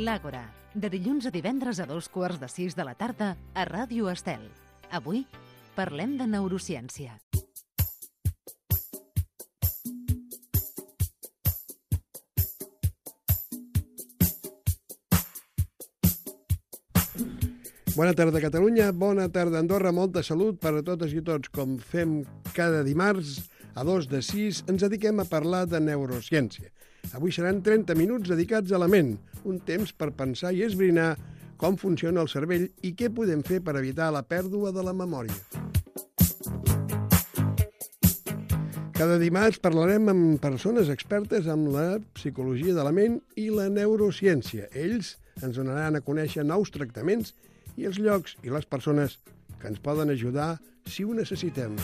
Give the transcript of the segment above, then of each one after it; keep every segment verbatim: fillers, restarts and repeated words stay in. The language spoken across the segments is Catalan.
L'Àgora, de dilluns a divendres a dos quarts de sis de la tarda a Ràdio Estel. Avui parlem de neurociència. Bona tarda, Catalunya. Bona tarda, Andorra. Molta salut per a totes i tots. Com fem cada dimarts, a dos de sis, ens dediquem a parlar de neurociència. Avui seran trenta minuts dedicats a la ment, un temps per pensar i esbrinar com funciona el cervell i què podem fer per evitar la pèrdua de la memòria. Cada dimarts parlarem amb persones expertes en la psicologia de la ment i la neurociència. Ells ens donaran a conèixer nous tractaments i els llocs i les persones que ens poden ajudar si ho necessitem.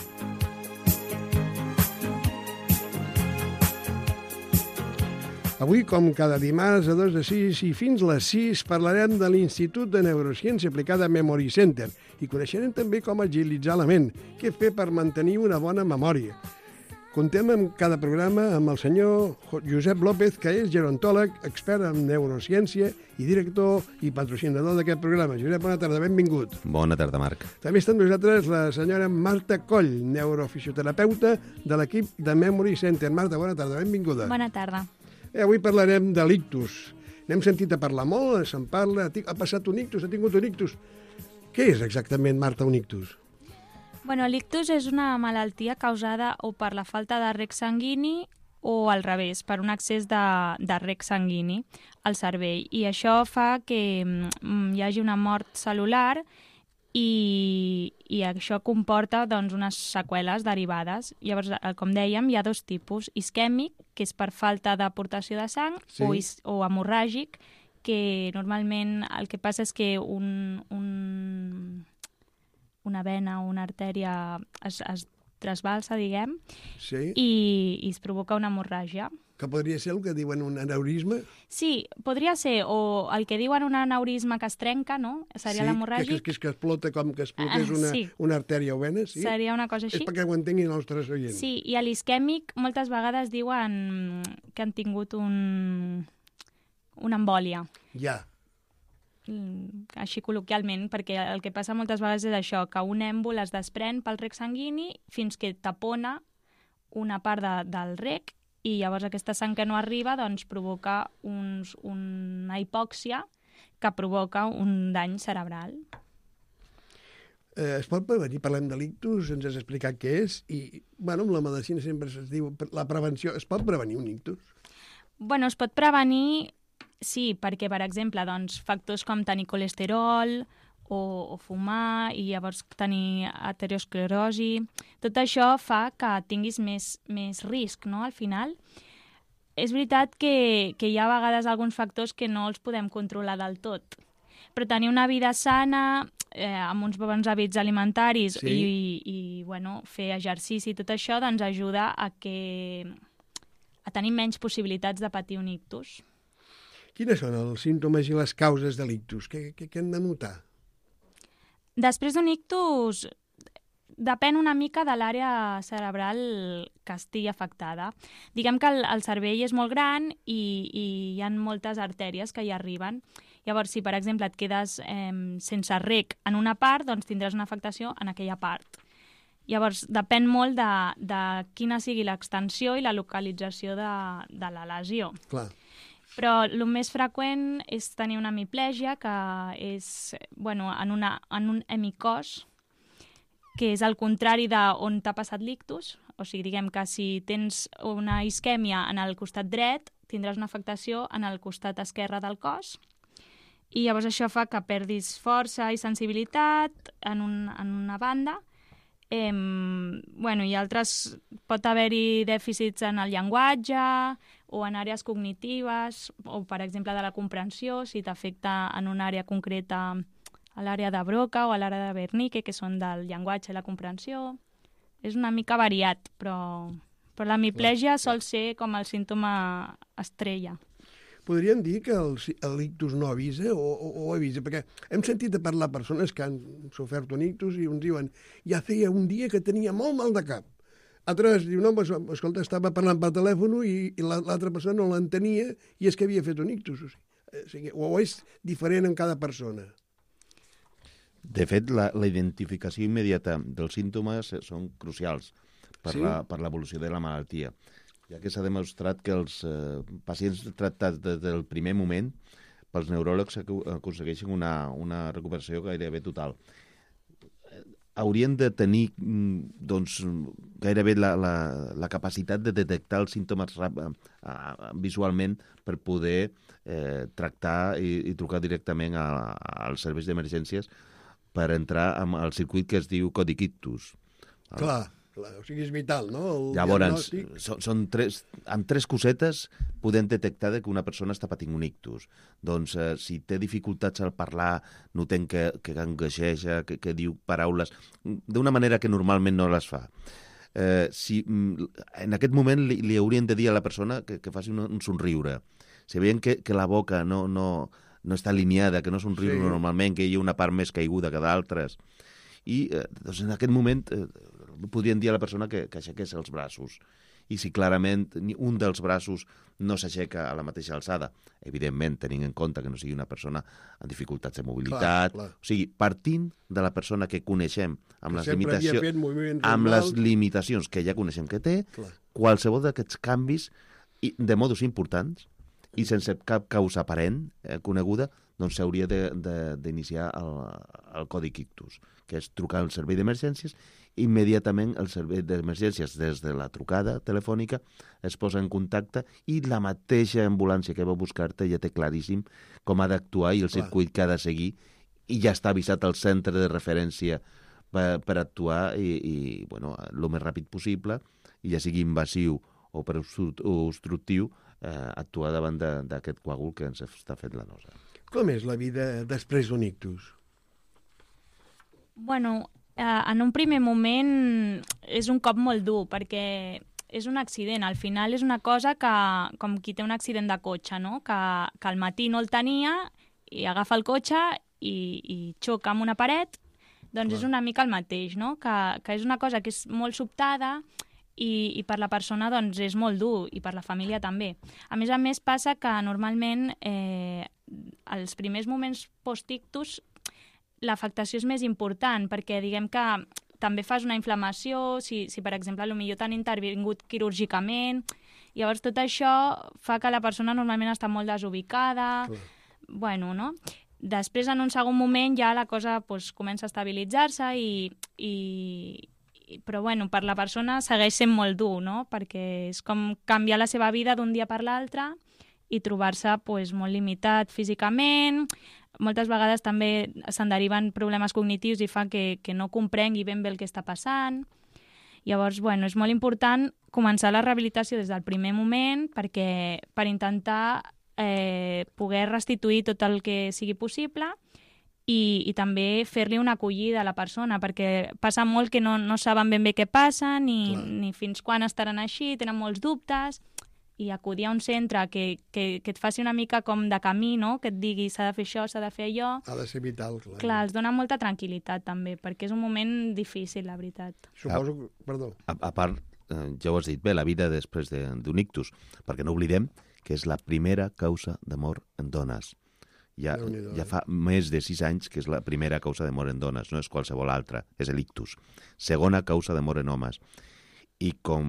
Avui, com cada dimarts a dos de sis i fins les sis, parlarem de l'Institut de Neurociència Aplicada Memory Center i coneixerem també com agilitzar la ment, què fer per mantenir una bona memòria. Contem en cada programa amb el senyor Josep López, que és gerontòleg, expert en neurociència i director i patrocinador d'aquest programa. Josep, bona tarda, benvingut. Bona tarda, Marc. També està amb nosaltres la senyora Marta Coll, neurofisioterapeuta de l'equip de Memory Center. Marta, bona tarda, benvinguda. Bona tarda. Eh, avui parlarem de l'ictus. N'hem sentit a parlar molt, se'n parla, ha passat un ictus, ha tingut un ictus. Què és exactament, Marta, un ictus? Bueno, l'ictus és una malaltia causada o per la falta de reg sanguini o al revés, per un excés de, de reg sanguini al cervell. I això fa que mm, hi hagi una mort cel·lular i, i això comporta doncs, unes seqüeles derivades. Llavors, com dèiem, hi ha dos tipus. Isquèmic, que és per falta d'aportació de sang, sí. o, is, o hemorràgic, que normalment el que passa és que un... un una vena o una artèria es, es trasbalsa, diguem, sí. i, i es provoca una hemorràgia. Que podria ser el que diuen un aneurisma? Sí, podria ser, o el que diuen un aneurisma que es trenca, no? Seria sí, l'hemorràgic. Sí, que, que es explota com que explotés una, uh, sí. una artèria o vena, sí? Seria una cosa així. És perquè ho entenguin els nostres oients. Sí, i a l'isquèmic moltes vegades diuen que han tingut un, una embòlia. Ja. Així col·loquialment, perquè el que passa moltes vegades és això, que un èmbol es desprèn pel reg sanguini fins que tapona una part de, del reg i llavors aquesta sang que no arriba doncs provoca uns, una hipòxia que provoca un dany cerebral. Eh, es pot prevenir? Parlem de l'ictus, ens has explicat què és i, bueno, amb la medicina sempre es diu la prevenció. Es pot prevenir un ictus? Bueno, es pot prevenir. Sí, perquè, per exemple, doncs, factors com tenir colesterol o, o fumar i llavors tenir aterosclerosi, tot això fa que tinguis més, més risc, no?, al final. És veritat que, que hi ha a vegades alguns factors que no els podem controlar del tot, però tenir una vida sana, eh, amb uns bons hàbits alimentaris sí. i, i bueno, fer exercici i tot això doncs, ajuda a, que, a tenir menys possibilitats de patir un ictus. Quines són els símptomes i les causes de l'ictus? Què, què, què hem de notar? Després d'un ictus, depèn una mica de l'àrea cerebral que estigui afectada. Diguem que el, el cervell és molt gran i, i hi ha moltes artèries que hi arriben. Llavors, si per exemple et quedes eh, sense reg en una part, doncs tindràs una afectació en aquella part. Llavors, depèn molt de, de quina sigui l'extensió i la localització de, de la lesió. Clar. Però el més freqüent és tenir una hemiplegia, que és bueno, en, una, en un hemicòs, que és el contrari d'on t'ha passat l'ictus. O sigui, diguem que si tens una isquèmia en el costat dret, tindràs una afectació en el costat esquerre del cos. I llavors això fa que perdis força i sensibilitat en, un, en una banda. Eh, bueno, i altres, pot haver-hi dèficits en el llenguatge o en àrees cognitives, o per exemple de la comprensió, si t'afecta en una àrea concreta a l'àrea de Broca o a l'àrea de Wernicke, que són del llenguatge i la comprensió. És una mica variat, però, però la hemiplegia sol ser com el símptoma estrella. Podríem dir que l'ictus no avisa o, o, o avisa? Perquè hem sentit a parlar persones que han sofert un ictus i uns diuen ja feia un dia que tenia molt mal de cap. Altres diuen, no, escolta, estava parlant per telèfon i, i l'altra persona no l'entenia i és que havia fet un ictus. O sigui, O, sigui, o és diferent en cada persona? De fet, la, la identificació immediata dels símptomes són crucials per, Sí? la, per l'evolució de la malaltia, ja que s'ha demostrat que els eh, pacients tractats des del primer moment pels neuròlegs aconsegueixen una, una recuperació gairebé total. Haurien de tenir doncs, gairebé la, la, la capacitat de detectar els símptomes rap, eh, visualment per poder eh, tractar i, i trucar directament a, als serveis d'emergències per entrar al circuit que es diu còdic ictus. Clar, clar, o sigui, és vital, no? El Llavors, diagnòstic. són, són tres, amb tres cosetes podem detectar que una persona està patint un ictus. Doncs eh, si té dificultats al parlar, notem que, que gangueja, que, que diu paraules d'una manera que normalment no les fa. Eh, si en aquest moment li, li haurien de dir a la persona que, que faci un, un somriure. Si veiem que, que la boca no, no, no està alineada, que no somriu Sí. normalment, que hi ha una part més caiguda que d'altres. I eh, doncs en aquest moment eh, podrien dir a la persona que, que aixequés els braços. I si clarament ni un dels braços no s'aixeca a la mateixa alçada, evidentment tenint en compte que no sigui una persona amb dificultats de mobilitat, Clar, clar. o sigui, partint de la persona que coneixem amb, Que les, sempre havia limitació, fet moviments amb les normals. limitacions que ja coneixem que té, Clar. qualsevol d'aquests canvis i de modus importants i sense cap causa aparent eh, coneguda, doncs s'hauria d'iniciar el, el còdic ictus, que és trucar al servei d'emergències. Immediatament el servei d'emergències, des de la trucada telefònica, es posa en contacte i la mateixa ambulància que va buscar-te ja té claríssim com ha d'actuar i el Clar. circuit que ha de seguir, i ja està avisat al centre de referència per, per actuar i, i bueno, el més ràpid possible, i ja sigui invasiu o per obstructiu, eh, actuar davant d'aquest coàgul que ens està fent la nosa. Com és la vida després d'un ictus? Bueno, eh, en un primer moment és un cop molt dur, perquè és un accident. Al final és una cosa que, com qui té un accident de cotxe, no? que, que al matí no el tenia i agafa el cotxe i, i xoca amb una paret, doncs Clar. és una mica el mateix, no? que, que és una cosa que és molt sobtada i, i per la persona doncs, és molt dur, i per la família també. A més a més, passa que normalment eh, els primers moments post-ictus l'afectació és més important, perquè diguem que també fas una inflamació, si, si per exemple potser t'han intervingut quirúrgicament, llavors tot això fa que la persona normalment està molt desubicada, Clar. bueno, no? Després, en un segon moment, ja la cosa pues, comença a estabilitzar-se, i, i, i, però bueno, per la persona segueix sent molt dur, no? Perquè és com canviar la seva vida d'un dia per l'altre i trobar-se pues, molt limitat físicament. Moltes vegades també se'n deriven problemes cognitius i fa que, que no comprengui ben bé el que està passant. Llavors, bueno, és molt important començar la rehabilitació des del primer moment perquè per intentar eh, poder restituir tot el que sigui possible i, i també fer-li una acollida a la persona, perquè passa molt que no, no saben ben bé què passa ni, ni fins quan estaran així, tenen molts dubtes, i acudir a un centre que, que, que et faci una mica com de camí, no? Que et digui s'ha de fer això, s'ha de fer allò. Ha de ser vital, clar. Clar, els dona molta tranquil·litat també, perquè és un moment difícil, la veritat. Suposo que... Perdó. A, a part, eh, ja ho has dit bé, la vida després de- d'un ictus, perquè no oblidem que és la primera causa de mort en dones. Ja, Déu-n'hi-do, ja eh? fa més de sis anys que és la primera causa de mort en dones, no és qualsevol altra, és l'ictus. Segona causa de mort en homes. I com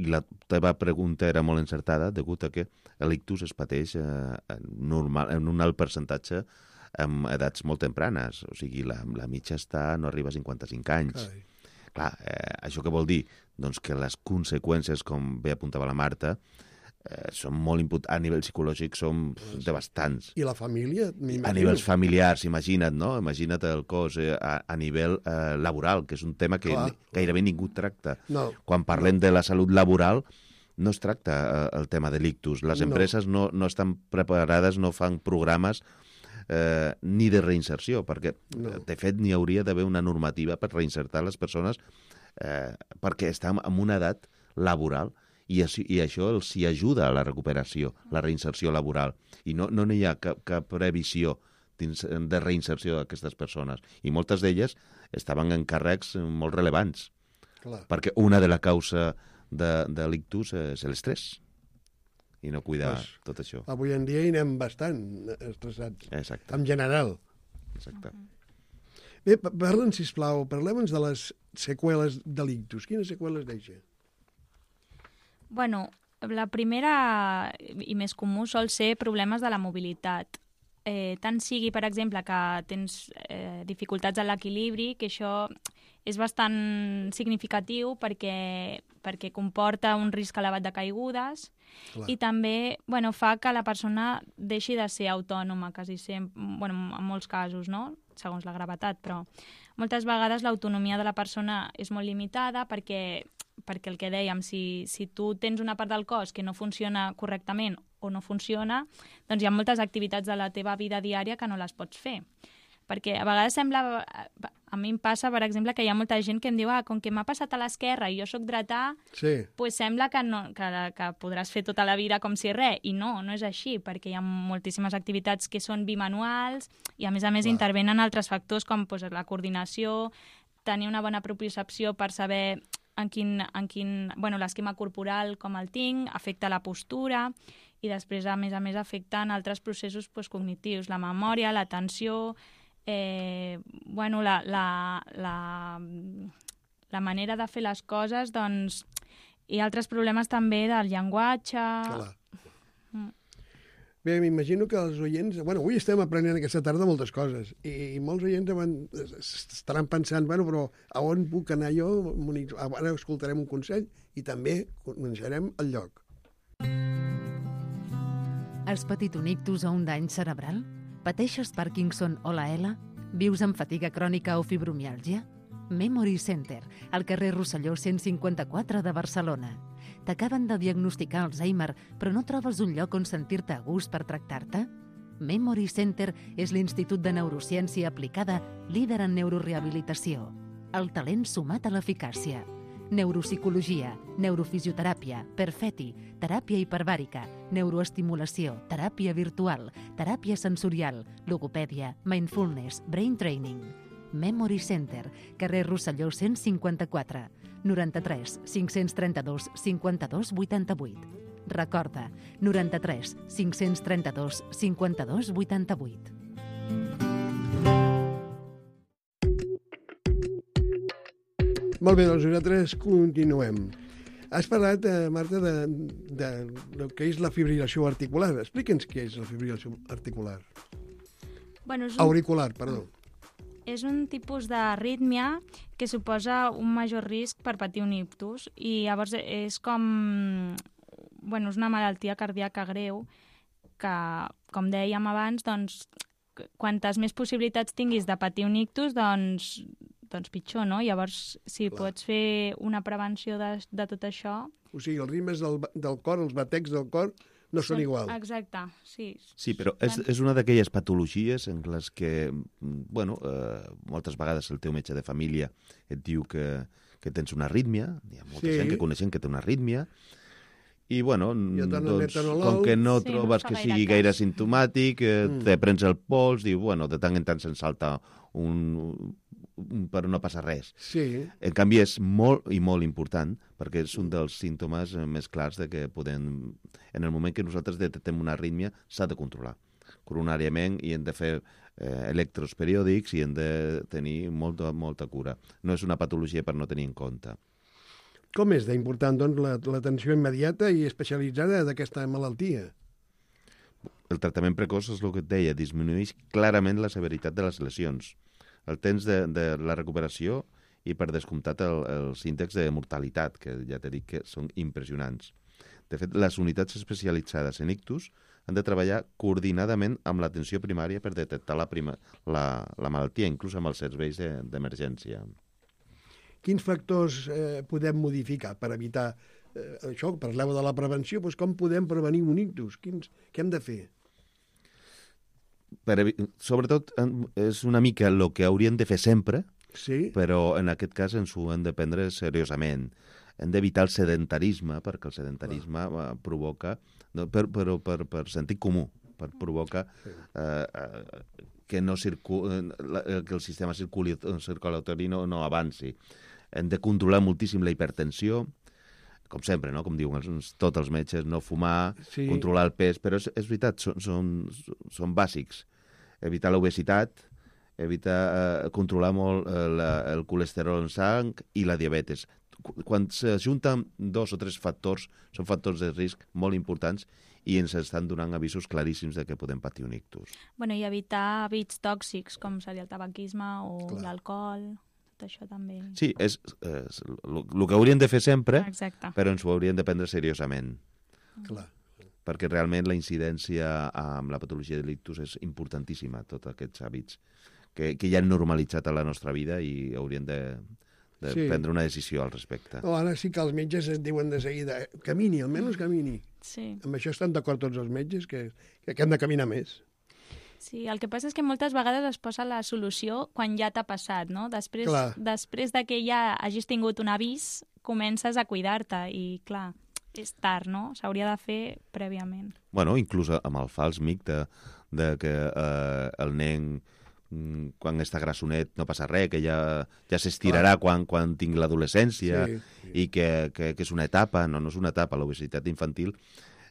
i la teva pregunta era molt encertada, degut a que l'ictus es pateix eh, normal, en un alt percentatge amb edats molt tempranes, o sigui, la, la mitja està, no arriba a cinquanta-cinc anys. Carai. Clar, eh, això què vol dir? Doncs que les conseqüències, com bé apuntava la Marta, eh, són molt imput... a nivell psicològic són pf, devastants. I la família? A nivells familiars, imagina't, no? Imagina't el cos eh, a, a nivell eh, laboral, que és un tema que Clar. gairebé ningú tracta. No. Quan parlem de la salut laboral, no es tracta eh, el tema de l'ictus. Les No. empreses no, no estan preparades, no fan programes eh, ni de reinserció, perquè, No. de fet, n'hi hauria d'haver una normativa per reinsertar les persones eh, perquè estan en una edat laboral i, així, i això els hi ajuda a la recuperació, la reinserció laboral. I no no n'hi ha cap, cap previsió dins, de reinserció d'aquestes persones. I moltes d'elles estaven en càrrecs molt rellevants, Clar. perquè una de la causa de, de l'ictus és l'estrès. i no cuidar Pues, tot això. Avui en dia hi anem bastant estressats, Exacte. en general. Exacte. Bé, pa- parla'ns, sisplau, parlem-nos de les seqüeles de l'ictus. Quines seqüeles deixa? Bueno, la primera i més comú sol ser problemes de la mobilitat. Eh, tant sigui, per exemple, que tens eh, dificultats en l'equilibri, que això és bastant significatiu perquè, perquè comporta un risc elevat de caigudes. Clar. I també bueno, fa que la persona deixi de ser autònoma, quasi sempre, bueno, en molts casos, no? Segons la gravetat, però moltes vegades l'autonomia de la persona és molt limitada perquè, perquè el que dèiem, si, si tu tens una part del cos que no funciona correctament o no funciona, doncs hi ha moltes activitats de la teva vida diària que no les pots fer. Perquè a vegades sembla, a mi em passa, per exemple, que hi ha molta gent que em diu ah, com que m'ha passat a l'esquerra i jo sóc dretà, Sí. pues sembla que, no, que, que podràs fer tota la vida com si res, i no, no és així, perquè hi ha moltíssimes activitats que són bimanuals i a més a més Clar. intervenen altres factors com pues, la coordinació, tenir una bona propiocepció per saber en quin, en quin, bueno, l'esquema corporal com el tinc, afecta la postura i després, a més a més, afecten altres processos pues, cognitius, la memòria, l'atenció, eh, bueno, la, la, la, la manera de fer les coses, doncs, hi ha altres problemes també del llenguatge. Clar. Mm. Bé, m'imagino que els oients... Bueno, avui estem aprenent aquesta tarda moltes coses i, i molts oients van, estaran pensant, bueno, però a on puc anar jo? Ara escoltarem un consell i també coneixerem el lloc. Has patit un ictus o un dany cerebral? Pateixes Parkinson o la E L A? Vius amb fatiga crònica o fibromiàlgia? Memory Center, al carrer Rosselló cent cinquanta-quatre de Barcelona. T'acaben de diagnosticar Alzheimer, però no trobes un lloc on sentir-te a gust per tractar-te? Memory Center és l'Institut de Neurociència Aplicada líder en neurorehabilitació. El talent sumat a l'eficàcia. Neuropsicologia, neurofisioteràpia, perfeti, teràpia hiperbàrica, neuroestimulació, teràpia virtual, teràpia sensorial, logopèdia, mindfulness, brain training. Memory Center, carrer Rosselló cent cinquanta-quatre, noranta-tres cinc-cents trenta-dos cinquanta-dos vuitanta-vuit. Recorda, noranta-tres cinc-cents trenta-dos cinquanta-dos vuitanta-vuit. Molt bé, doncs nosaltres continuem. Has parlat, eh, Marta, de, de, de què és la fibrilació articular. Explica'ns què és la fibrilació articular. Bueno, és un, Auricular, perdó. és un tipus d'arrítmia que suposa un major risc per patir un ictus i llavors és com... Bueno, és una malaltia cardíaca greu que, com dèiem abans, doncs, quantes més possibilitats tinguis de patir un ictus, doncs, doncs pitjor, no? Llavors, si Clar. pots fer una prevenció de, de tot això... O sigui, els ritmes del, del cor, els batecs del cor, no són igual. Exacte, sí. Sí, però és, és una d'aquelles patologies en les que, bueno, eh, moltes vegades el teu metge de família et diu que, que tens una arrítmia, hi ha molta Sí. gent que coneixen que té una arrítmia, i, bueno, I et donen doncs, metanol. com que no Sí, no trobes fa que gaire sigui cas. gaire simptomàtic, eh, Mm. te prens el pols, diu, bueno, de tant en tant se'n salta un, un... però no passa res. Sí, En canvi, és molt i molt important, perquè és un dels símptomes eh, més clars de que podem... En el moment que nosaltres detectem una arrítmia, s'ha de controlar coronàriament i hem de fer eh, electros periòdics i hem de tenir molta, molta cura. No és una patologia per no tenir en compte. com és d'important, doncs, la- l'atenció immediata i especialitzada d'aquesta malaltia? El tractament precoç és el que et deia, disminueix clarament la severitat de les lesions, el temps de, de la recuperació i, per descomptat, el, els índexs de mortalitat, que ja t'he dit que són impressionants. De fet, les unitats especialitzades en ictus han de treballar coordinadament amb l'atenció primària per detectar la, prima, la, la malaltia, inclús amb els serveis de- d'emergència. Quins factors eh, podem modificar per evitar eh, això? Parleu de la prevenció, doncs com podem prevenir un ictus? Quins, què hem de fer? Per, evi- sobretot, en- és una mica el que hauríem de fer sempre, Sí? però en aquest cas ens ho hem de prendre seriosament. Hem d'evitar el sedentarisme, perquè el sedentarisme eh, provoca, no, per, però per, per sentit comú, per provocar eh, eh, que, no circu, eh, que el sistema circuli, circulatori no, no avanci. Hem de controlar moltíssim la hipertensió, com sempre, no? Com diuen els, tots els metges, no fumar, Sí. controlar el pes, però és, és veritat, són, són, són bàsics. Evitar l'obesitat, evitar eh, controlar molt eh, la, el colesterol en sang i la diabetes. Quan s'ajunten dos o tres factors, són factors de risc molt importants i ens estan donant avisos claríssims de que podem patir un ictus. Bueno, i evitar hàbits tòxics, com seria el tabaquisme o Clar. l'alcohol, tot això també. Sí, és el que hauríem de fer sempre, Exacte. però ens ho hauríem de prendre seriosament, Clar. perquè realment la incidència amb la patologia de l'ictus és importantíssima, tots aquests hàbits que, que ja han normalitzat a la nostra vida i hauríem de, de Sí. prendre una decisió al respecte. No, ara sí que els metges es diuen de seguida, camini, almenys camini. Sí. Amb això estan d'acord tots els metges, que, que hem de caminar més. Sí, el que passa és que moltes vegades es posa la solució quan ja t'ha passat, no? Després, Clar. després de que ja hagis tingut un avís, comences a cuidar-te i, clar, és tard, no? S'hauria de fer prèviament. Bueno, inclús amb el fals mic de, de que eh, el nen mm, quan està grassonet no passa res, que ja, ja s'estirarà quan, quan tingui l'adolescència Sí, sí. i que, que, que és una etapa. No, no és una etapa. L'obesitat infantil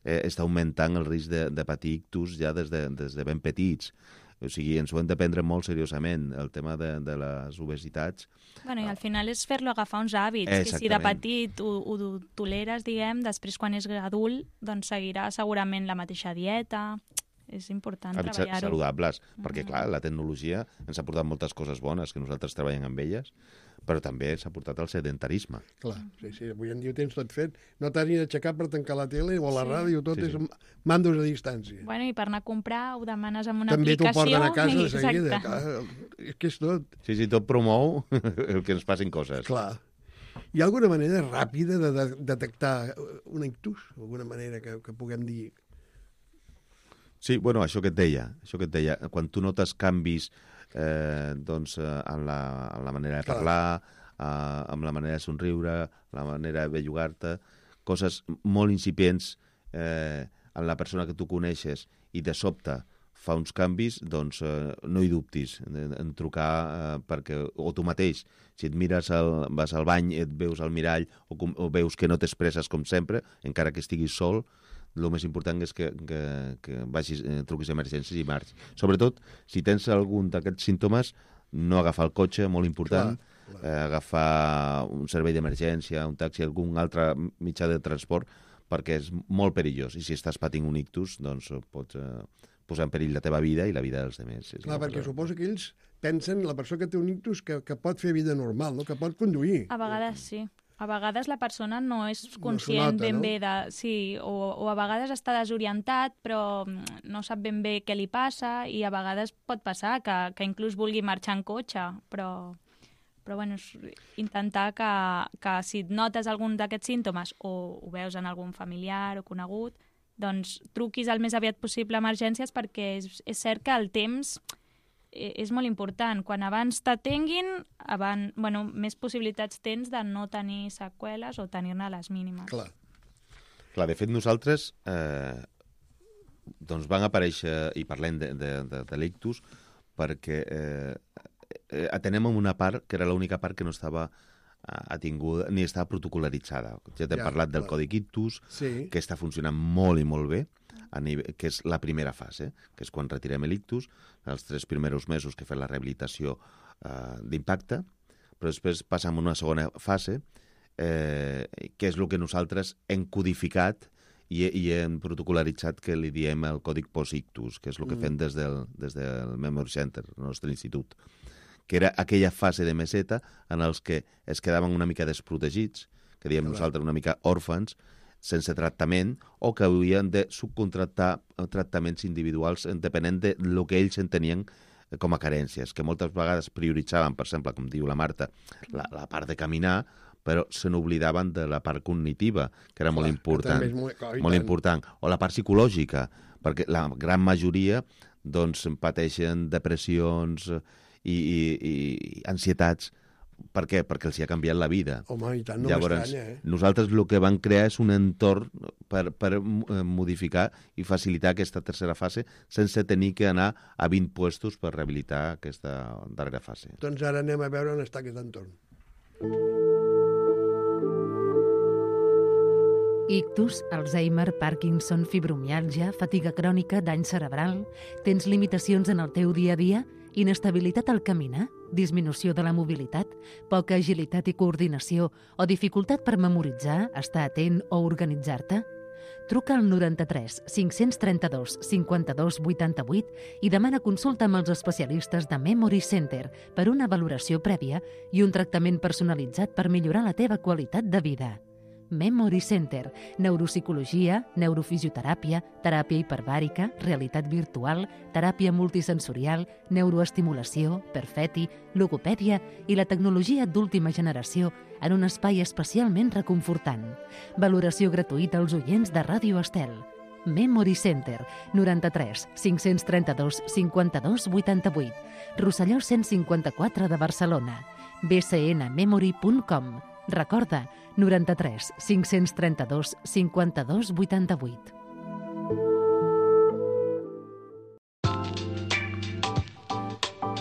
eh, està augmentant el risc de, de patir ictus ja des de, des de ben petits. O sigui, ens ho hem de prendre molt seriosament, el tema de, de les obesitats. Bueno, i al final és fer-lo agafar uns hàbits, que si de Exactament. petit ho, ho toleres, diguem, després quan és adult, doncs seguirà segurament la mateixa dieta. És important Hàbits treballar-ho. saludables, perquè, clar, la tecnologia ens ha portat moltes coses bones, que nosaltres treballem amb elles, però també s'ha portat el sedentarisme. Clar, sí, sí, avui en dia ho tens tot fet. No t'has ni d'aixecar per tancar la tele o la Sí. ràdio, tot Sí, és sí. amb mandos a distància. Bueno, i per anar a comprar ho demanes amb una També t'ho aplicació. porten a casa de i- seguida. Exacte. Clar, és que és tot. Sí, sí, tot promou el que ens passin coses. Clar. Hi ha alguna manera ràpida de, de detectar un ictus? Alguna manera que, que puguem dir... Sí, bueno, això que et deia, això que et deia, quan tu notes canvis eh, doncs, eh, en, la, en la manera de Clar. parlar, eh, amb la manera de somriure, la manera de bellugar-te, coses molt incipients eh, en la persona que tu coneixes i de sobte fa uns canvis, doncs eh, no hi dubtis en, en trucar eh, perquè, o tu mateix, si et mires, al, vas al bany, et veus al mirall o, com, o veus que no t'expresses com sempre, encara que estiguis sol, el més important és que, que, que vagis, eh, truquis a emergències i marxis. Sobretot, si tens algun d'aquests símptomes, no agafar el cotxe, molt important, Clar, clar. Eh, agafar un servei d'emergència, un taxi, algun altre mitjà de transport, perquè és molt perillós. I si estàs patint un ictus, doncs pots eh, posar en perill la teva vida i la vida dels altres. És Clar, una perquè cosa- suposo que ells pensen, la persona que té un ictus, que, que pot fer vida normal, no? Que pot conduir. A vegades sí. A vegades la persona no és s'ho conscient nota, ben no? bé de... Sí, o, o a vegades està desorientat, però mm, no sap ben bé què li passa i a vegades pot passar que, que inclús vulgui marxar en cotxe, però, però bueno, és intentar que, que si et notes algun d'aquests símptomes o ho veus en algun familiar o conegut, doncs truquis el més aviat possible a emergències perquè és, és cert que el temps eh, és molt important. Quan abans t'atenguin, abans, bueno, més possibilitats tens de no tenir seqüeles o tenir-ne les mínimes. Clar. Clar, de fet, nosaltres eh, doncs van aparèixer, i parlem de, de, de, de l'ictus, perquè eh, eh, atenem en una part que era l'única part que no estava eh, atinguda ni estava protocolaritzada. Ja t'hem Ja, parlat del clar. codi ictus, Sí. que està funcionant molt i molt bé, a nivell, que és la primera fase, que és quan retirem l'ictus, els tres primers mesos que fem la rehabilitació eh, d'impacte, però després passam a una segona fase, eh, que és el que nosaltres hem codificat i, i hem protocolaritzat, que li diem el còdic post-ictus, que és el que Mm. fem des del, des del Memory Center, el nostre institut, que era aquella fase de meseta en els que es quedaven una mica desprotegits, que diem Clar. nosaltres una mica òrfans, sense tractament, o que havien de subcontractar tractaments individuals depenent de lo que ells entenien com a carències, que moltes vegades prioritzaven, per exemple, com diu la Marta, la, la part de caminar, però se n'oblidaven de la part cognitiva, que era molt Clar, que important. també és molt- clar, i molt tant. important. O la part psicològica, perquè la gran majoria doncs, pateixen depressions i, i, i ansietats. Per què? Perquè els hi ha canviat la vida. Home, i tant, no Llavors, m'estranya, eh? nosaltres el que vam crear és un entorn per, per eh, modificar i facilitar aquesta tercera fase sense tenir que anar a vint puestos per rehabilitar aquesta darrera fase. Doncs ara anem a veure on està aquest entorn. Ictus, Alzheimer, Parkinson, fibromiàlgia, fatiga crònica, dany cerebral... Tens limitacions en el teu dia a dia? Inestabilitat al caminar? Disminució de la mobilitat? Poca agilitat i coordinació? O dificultat per memoritzar, estar atent o organitzar-te? Truca al noranta-tres cinc-cents trenta-dos cinquanta-dos vuitanta-vuit i demana consulta amb els especialistes de Memory Center per una valoració prèvia i un tractament personalitzat per millorar la teva qualitat de vida. Memory Center, neuropsicologia, neurofisioteràpia, teràpia hiperbàrica, realitat virtual, teràpia multisensorial, neuroestimulació, perfeti, logopèdia i la tecnologia d'última generació en un espai especialment reconfortant. Valoració gratuïta als oients de Ràdio Estel. Memory Center, noranta-tres cinc-cents trenta-dos cinquanta-dos vuitanta-vuit, Rosselló cent cinquanta-quatre de Barcelona, b c n memory punt com. Recorda, noranta-tres cinc-cents trenta-dos cinquanta-dos vuitanta-vuit.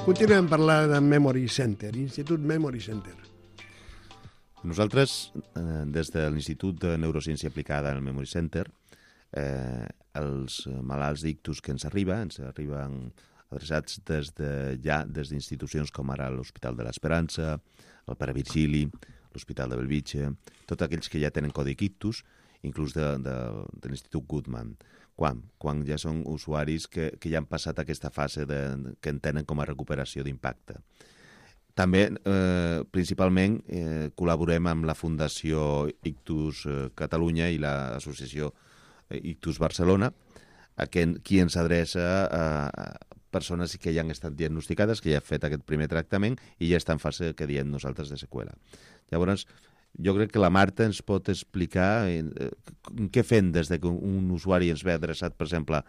Continuem parlant de Memory Center, Institut Memory Center. Nosaltres, eh, des de l'Institut de Neurociència Aplicada al Memory Center, eh, els malalts d'ictus que ens arriba, ens arriben adreçats des de, ja des d'institucions com ara l'Hospital de l'Esperança, el Pare Virgili, l'Hospital de Bellvitge, tots aquells que ja tenen codi ictus, inclús de, de, de l'Institut Guttmann. Quan? Quan ja són usuaris que, que ja han passat aquesta fase de, que en tenen com a recuperació d'impacte. També, eh, principalment, eh, col·laborem amb la Fundació Ictus Catalunya i l'Associació Ictus Barcelona, a qui ens adreça a, a persones que ja han estat diagnosticades, que ja han fet aquest primer tractament i ja està en fase que diem nosaltres de seqüela. Llavors, jo crec que la Marta ens pot explicar eh, què fem des de que un usuari ens ve adreçat, per exemple,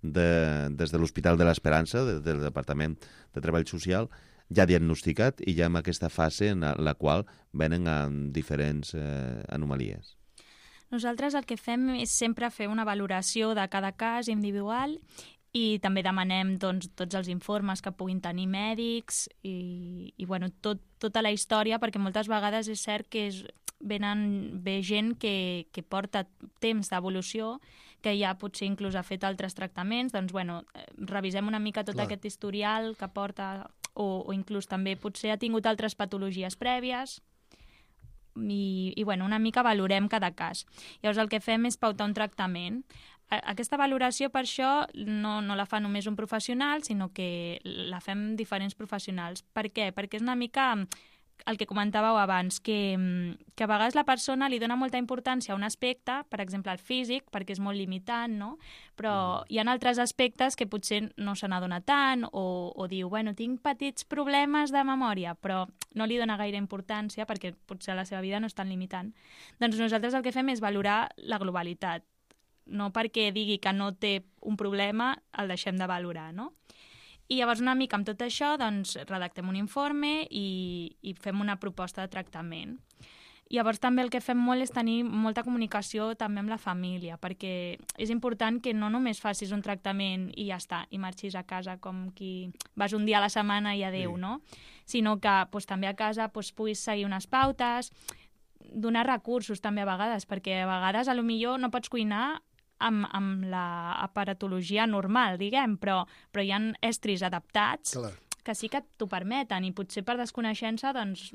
de, des de l'Hospital de l'Esperança, de, del Departament de Treball Social, ja diagnosticat i ja en aquesta fase en la qual venen amb diferents eh, anomalies. Nosaltres el que fem és sempre fer una valoració de cada cas individual i també demanem doncs, tots els informes que puguin tenir mèdics i, i bueno, tot, tota la història, perquè moltes vegades és cert que és, venen, ve gent que, que porta temps d'evolució, que ja potser inclús ha fet altres tractaments, doncs bueno, revisem una mica tot Clar. Aquest historial que porta, o, o inclús també potser ha tingut altres patologies prèvies, i, i bueno, una mica valorem cada cas. Llavors el que fem és pautar un tractament. Aquesta valoració, per això, no, no la fa només un professional, sinó que la fem diferents professionals. Per què? Perquè és una mica el que comentàveu abans, que, que a vegades la persona li dona molta importància a un aspecte, per exemple el físic, perquè és molt limitant, no? Però mm. hi ha altres aspectes que potser no se n'adona tant, o, o diu, bueno, tinc petits problemes de memòria, però no li dona gaire importància perquè potser la seva vida no és tan limitant. Doncs nosaltres el que fem és valorar la globalitat. No perquè digui que no té un problema el deixem de valorar, no? I llavors una mica amb tot això doncs, redactem un informe i, i fem una proposta de tractament. Llavors també el que fem molt és tenir molta comunicació també amb la família, perquè és important que no només facis un tractament i ja està, i marxis a casa com qui vas un dia a la setmana i adeu, sí. no? Sinó que doncs, també a casa doncs, puguis seguir unes pautes, donar recursos també a vegades, perquè a vegades a lo millor no pots cuinar amb, amb l'aparatologia normal, diguem, però, però hi ha estris adaptats Clar. Que sí que t'ho permeten i potser per desconeixença doncs,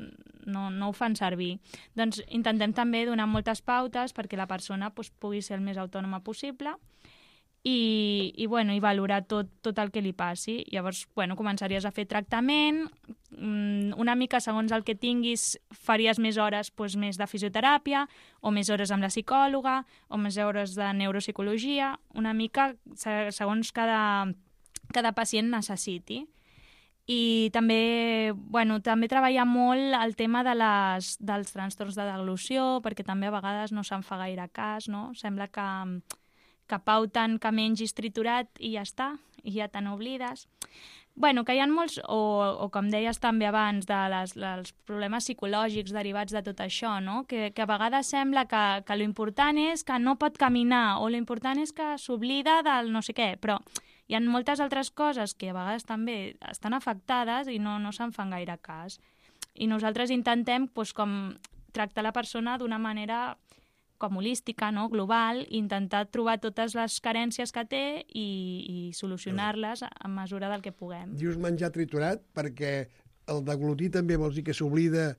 no, no ho fan servir. Doncs intentem també donar moltes pautes perquè la persona doncs, pugui ser el més autònoma possible i, i, bueno, i valorar tot, tot el que li passi. Llavors, bueno, començaries a fer tractament, una mica segons el que tinguis faries més hores doncs, més de fisioteràpia o més hores amb la psicòloga o més hores de neuropsicologia, una mica segons cada, cada pacient necessiti. I també, bueno, també treballa molt el tema de les, dels trastorns de deglució, perquè també a vegades no se'n fa gaire cas, no? Sembla que que pauten que mengis triturat i ja està, i ja te n'oblides. Bueno, que hi ha molts, o, o com deies també abans, de les, dels problemes psicològics derivats de tot això, no? Que, que a vegades sembla que, que l'important és que no pot caminar, o l'important és que s'oblida del no sé què, però hi ha moltes altres coses que a vegades també estan afectades i no, no se'n fan gaire cas. I nosaltres intentem doncs, com tractar la persona d'una manera com holística, no? Global, i intentar trobar totes les carències que té i, i solucionar-les a mesura del que puguem. Dius menjar triturat perquè el deglutir també vols dir que s'oblida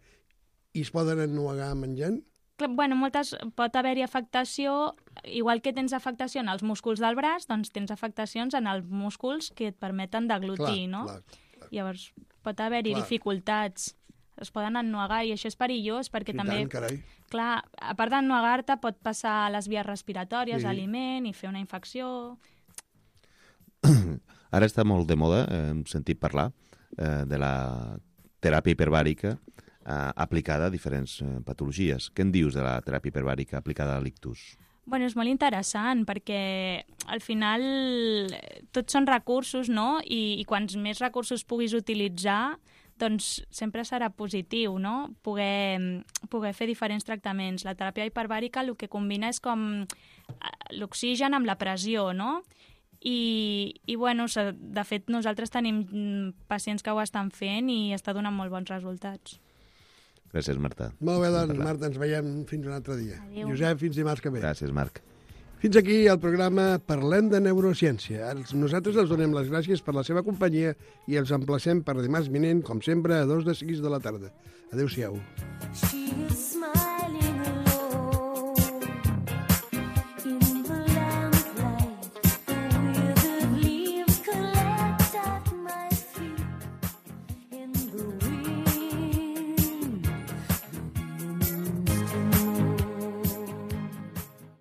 i es poden ennuegar menjant? Bueno, moltes, pot haver-hi afectació, igual que tens afectació en els músculs del braç, doncs tens afectacions en els músculs que et permeten deglutir, clar, no? Clar, clar. Llavors, pot haver-hi dificultats, es poden ennuegar i això és perillós perquè I també, tant, carai. clar, a part d'ennuegar-te pot passar a les vies respiratòries, Sí. aliment i fer una infecció. Ara està molt de moda, eh, hem sentit parlar, eh, de la teràpia hiperbàrica eh, aplicada a diferents eh, patologies. Què en dius de la teràpia hiperbàrica aplicada a l'ictus? Bueno, és molt interessant perquè al final tots són recursos, no? I, i quants més recursos puguis utilitzar, doncs sempre serà positiu, no? Poder, poder fer diferents tractaments. La teràpia hiperbàrica el que combina és com l'oxigen amb la pressió, no? I, i bueno, de fet nosaltres tenim pacients que ho estan fent i està donant molt bons resultats. Gràcies, Marta. Molt bé, doncs, Marta, ens veiem fins un altre dia. Adéu. Josep, fins dimarts que ve. Gràcies, Marc. Fins aquí el programa Parlem de Neurociència. Nosaltres els donem les gràcies per la seva companyia i els emplacem per dimarts vinent, com sempre, a dos de sis de la tarda. Adéu-siau.